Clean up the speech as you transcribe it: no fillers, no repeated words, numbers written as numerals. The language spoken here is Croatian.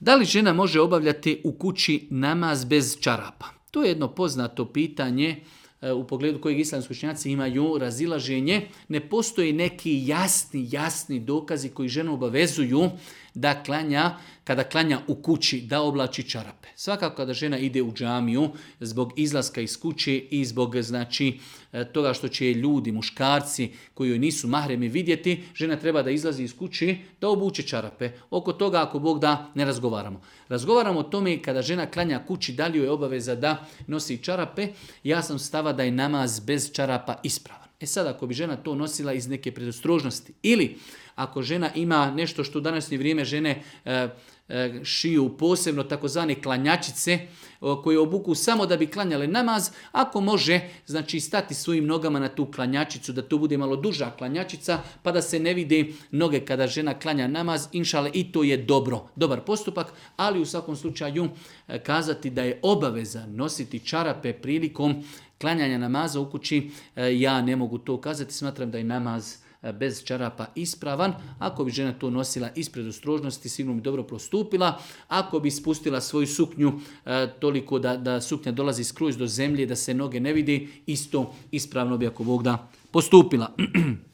Da li žena može obavljati u kući namaz bez čarapa? To je jedno poznato pitanje u pogledu kojeg islamski učenjaci imaju razilaženje. Ne postoji neki jasni dokazi koji ženu obavezuju da klanja, kada klanja u kući, da oblači čarape. Svakako kada žena ide u džamiju zbog izlaska iz kuće i zbog toga što će ljudi, muškarci koji joj nisu mahremi vidjeti, žena treba da izlazi iz kuće, da obuče čarape. Oko toga, ako Bog da, ne razgovaramo. Razgovaramo o tome kada žena klanja kući, da li joj je obaveza da nosi čarape. Ja sam stava da je namaz bez čarapa ispravan. Sad, ako bi žena to nosila iz neke predostrožnosti ili ako žena ima nešto što u današnje vrijeme žene šiju posebno takozvane klanjačice koje obuku samo da bi klanjale namaz, ako može stati svojim nogama na tu klanjačicu, da to bude malo duža klanjačica pa da se ne vide noge kada žena klanja namaz, inšale i to je dobar postupak, ali u svakom slučaju kazati da je obaveza nositi čarape prilikom klanjanja namaza u kući, ja ne mogu to kazati, smatram da je namaz bez čarapa ispravan. Ako bi žena to nosila ispred ostrožnosti, sigurno bi dobro postupila. Ako bi spustila svoju suknju toliko da suknja dolazi skroz do zemlje, da se noge ne vidi, isto ispravno bi, ako Bog da, postupila.